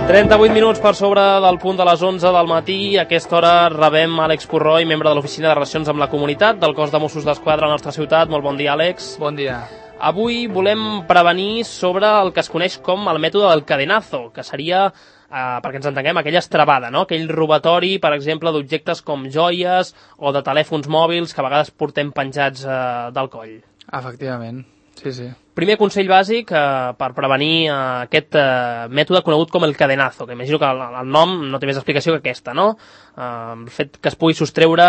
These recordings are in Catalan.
38 minuts per sobre del punt de les 11 del matí. A aquesta hora rebem Àlex Purroy, membre de l'Oficina de Relacions amb la Comunitat del Cos de Mossos d'Esquadra a la nostra ciutat. Molt bon dia, Àlex. Bon dia. Avui volem prevenir sobre el que es coneix com el mètode del cadenazo, que seria, perquè ens entenguem, aquella estrabada, no? Aquell robatori, per exemple, d'objectes com joies o de telèfons mòbils que a vegades portem penjats del coll. Efectivament, sí. Primer consell bàsic per prevenir aquest mètode conegut com el cadenazo, que imagino que el nom no té més explicació que aquesta, no? El fet que es pugui sostreure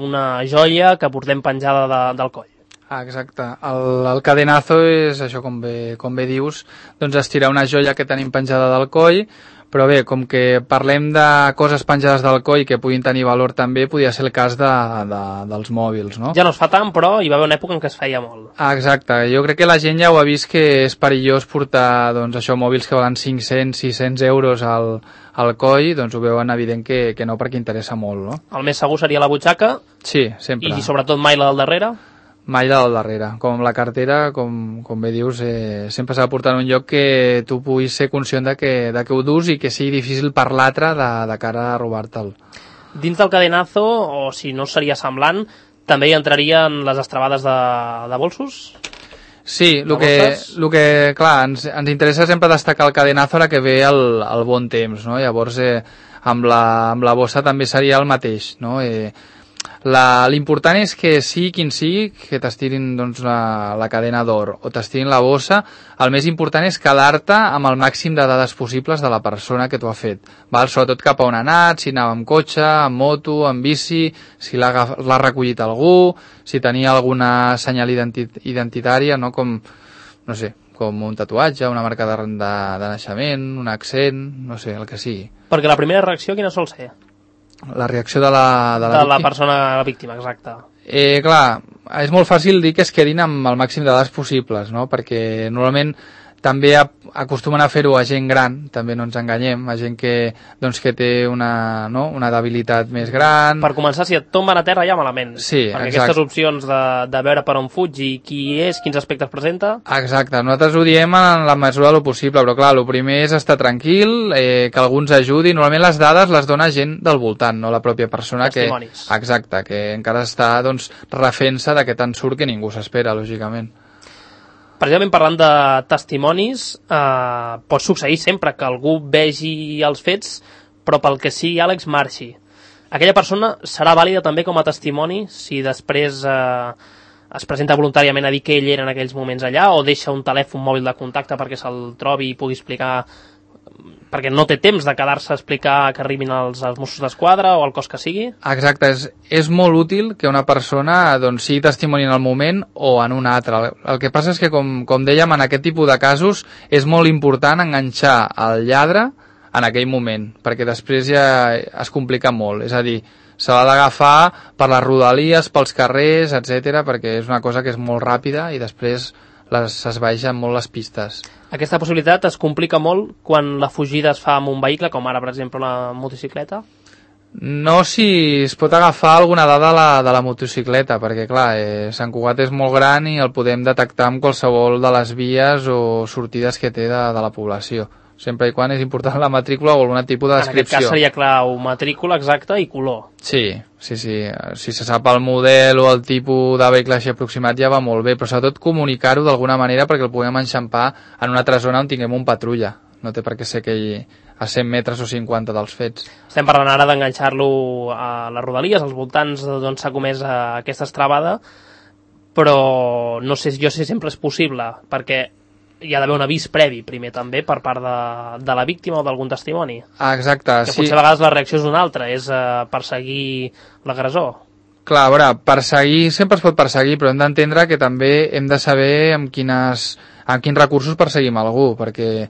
una joia que portem penjada del coll. Exacte. El cadenazo és això, com bé dius, doncs estirar una joia que tenim penjada del coll, però bé, com que parlem de coses penjades del coll que puguin tenir valor també, podria ser el cas dels mòbils, no? Ja no es fa tant, però hi va haver una època en què es feia molt. Exacte. Jo crec que la gent ja ho ha vist que és perillós portar, doncs això, mòbils que valen 500, 600 euros al coll, doncs ho veuen evident que no, perquè interessa molt, no? El més segur seria la butxaca. Sí, sempre. I sobretot mai la del darrere. Mai la del darrere. Com amb la cartera, com bé dius, sempre s'ha de portar en un lloc que tu puguis ser conscient de que ho dus i que sigui difícil per l'altre de cara a robar-te'l. Dins del cadenazo, o si no seria semblant, també hi entrarien les estrabades de bolsos? Sí, el que clar, ens interessa sempre destacar el cadenazo ara que ve el bon temps, no? Llavors, amb la bossa també seria el mateix, no? L'important és que sigui quin sigui, que t'estirin doncs, la cadena d'or o t'estirin la bossa, el més important és quedar-te amb el màxim de dades possibles de la persona que t'ho ha fet, val? Sobretot cap a on ha anat, si anava amb cotxe, amb moto, amb bici, si l'ha recollit algú, si tenia alguna senyal identitària, no? Com un tatuatge, una marca de naixement, un accent, no sé, el que sigui. Perquè la primera reacció quina sol ser? La reacció de la persona víctima, exacte. Clar, és molt fàcil dir que es quedin amb el màxim de dades possibles, no? Perquè normalment també acostumen a fer-ho a gent gran, també no ens enganyem, a gent que té una debilitat més gran. Per començar, si et tomben a terra ja malament. Sí, perquè exacte. Aquestes opcions de veure per on fuig i qui és, quins aspectes presenta... Exacte, nosaltres ho diem en la mesura del possible, però clar, el primer és estar tranquil, que algú ens ajudi. Normalment les dades les dona gent del voltant, no la pròpia persona. Testimonis. Exacte, que encara està refent-se de que tant surt que ningú s'espera, lògicament. Precisament parlant de testimonis, pot succeir sempre que algú vegi els fets, però pel que sigui, Àlex, marxi. Aquella persona serà vàlida també com a testimoni si després es presenta voluntàriament a dir que ell era en aquells moments allà, o deixa un telèfon mòbil de contacte perquè se'l trobi i pugui explicar, perquè no té temps de quedar-se a explicar que arribin els Mossos d'Esquadra o el cos que sigui? Exacte, és molt útil que una persona sigui testimoni en el moment o en un altre. El que passa és que, com dèiem, en aquest tipus de casos és molt important enganxar el lladre en aquell moment, perquè després ja es complica molt. És a dir, se l'ha d'agafar per les rodalies, pels carrers, etc, perquè és una cosa que és molt ràpida i després s'esvaeixen molt les pistes. Aquesta possibilitat es complica molt quan la fugida es fa amb un vehicle, com ara, per exemple, la motocicleta? No, si es pot agafar alguna dada de la motocicleta, perquè, clar, Sant Cugat és molt gran i el podem detectar amb qualsevol de les vies o sortides que té de la població. Sempre i quan és important la matrícula o algun tipus de descripció. En aquest cas seria clau matrícula exacta i color. Sí. Si se sap el model o el tipus de vehicle així aproximat ja va molt bé, però sobretot comunicar-ho d'alguna manera perquè el puguem enxampar en una altra zona on tinguem un patrulla. No té per què ser aquell a 100 metres o 50 dels fets. Estem parlant ara d'enganxar-lo a les rodalies, als voltants d'on s'ha comès aquesta estrabada, però no sé si sempre és possible, perquè hi ha d'haver un avís previ primer també per part de la víctima o d'algun testimoni. Exacte, que potser a vegades la reacció és una altra, és perseguir l'agressor. Clar, a veure, perseguir sempre es pot perseguir, però hem d'entendre que també hem de saber amb quins recursos perseguim algú, perquè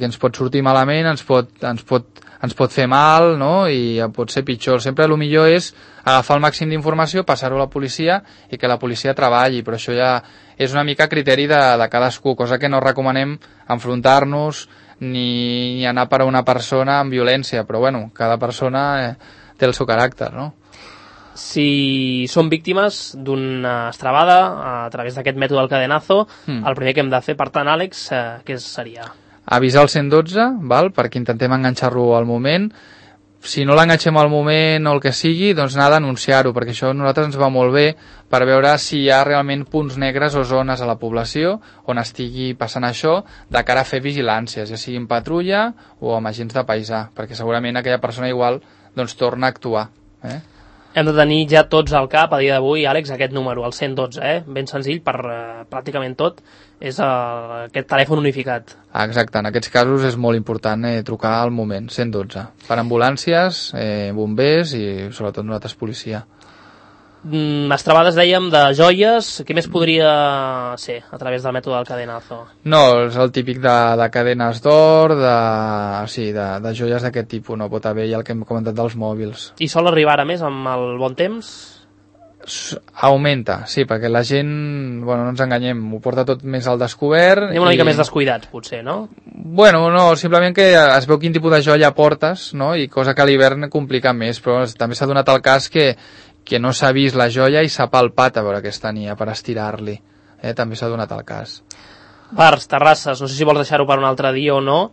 ens pot sortir malament, ens pot fer mal, no? I pot ser pitjor. Sempre el millor és agafar el màxim d'informació, passar-ho a la policia i que la policia treballi, però això ja és una mica criteri de cadascú, cosa que no recomanem enfrontar-nos ni anar per a una persona amb violència, però bueno, cada persona té el seu caràcter, no? Si som víctimes d'una estrabada a través d'aquest mètode del cadenazo, el primer que hem de fer, per tant, Àlex, què seria? avisar el 112, val? Perquè intentem enganxar-lo al moment. Si no l'enganxem al moment o el que sigui, doncs anar a denunciar-ho, perquè això a nosaltres ens va molt bé per veure si hi ha realment punts negres o zones a la població on estigui passant això, de cara a fer vigilàncies, ja sigui en patrulla o amb agents de paisà, perquè segurament aquella persona igual doncs torna a actuar. Hem de tenir ja tots al cap, a dia d'avui, Àlex, aquest número, el 112, ben senzill per pràcticament tot, és aquest telèfon unificat. Exacte, en aquests casos és molt important trucar al moment, 112, per ambulàncies, bombers i sobretot nosaltres policia. Estrabades, dèiem, de joies, què més podria ser a través del mètode del cadenazo? No, és el típic de cadenes d'or, de joies d'aquest tipus, no pot haver ja el que hem comentat dels mòbils. I sol arribar ara més amb el bon temps? Augmenta, sí, perquè la gent, bueno, no ens enganyem, ho porta tot més al descobert. Anem una mica més descuidats, potser, no? Bueno, no, simplement que es veu quin tipus de joia portes, no?, i cosa que a l'hivern complica més, però també s'ha donat el cas que no s'ha vist la joia i s'ha palpat a veure què tenia per estirar-li. També s'ha donat el cas. Bars, terrasses, no sé si vols deixar-ho per un altre dia o no,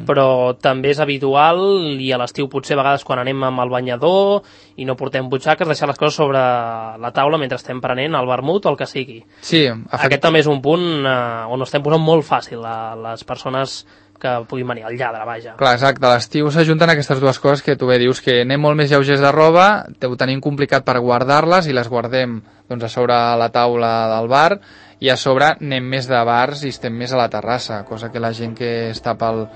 però també és habitual, i a l'estiu potser a vegades quan anem amb el banyador i no portem butxaques, deixar les coses sobre la taula mentre estem prenent el vermut o el que sigui. Sí, aquest també és un punt on estem posant molt fàcil a les persones que puguin venir, el lladre, vaja. Clar, exacte, a l'estiu s'ajunten aquestes dues coses que tu bé dius, que anem molt més lleugers de roba, ho tenim complicat per guardar-les i les guardem doncs, a sobre la taula del bar, i a sobre anem més de bars i estem més a la terrassa, cosa que la gent que està pel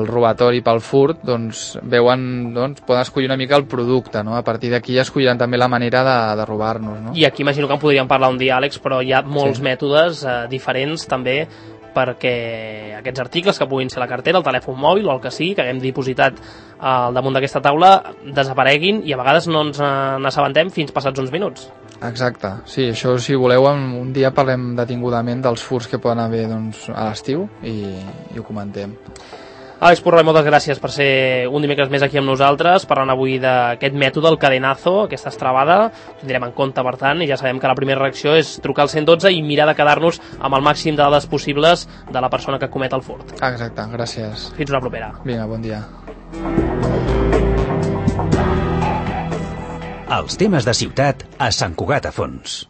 robatori, pel furt, doncs veuen, doncs poden escollir una mica el producte, no? A partir d'aquí ja escolliran també la manera de robar-nos, no? I aquí imagino que en podríem parlar un dia, Àlex, però hi ha molts mètodes diferents també perquè aquests articles que puguin ser la cartera, el telèfon mòbil o el que sigui, que haguem dipositat al damunt d'aquesta taula, desapareguin i a vegades no ens n'assabentem fins passats uns minuts. Exacte, sí, això si voleu un dia parlem detingudament dels furts que poden haver doncs, a l'estiu i ho comentem. Àlex Purroy, moltes gràcies per ser un dimecres més aquí amb nosaltres, parlant avui d'aquest mètode, el cadenazo, aquesta estrabada. Ho tindrem en compte, per tant, i ja sabem que la primera reacció és trucar al 112 i mirar de quedar-nos amb el màxim de dades possibles de la persona que comet el furt. Exacte, gràcies. Fins una propera. Vinga, bon dia. Els temes de ciutat a Sant Cugat a Fons.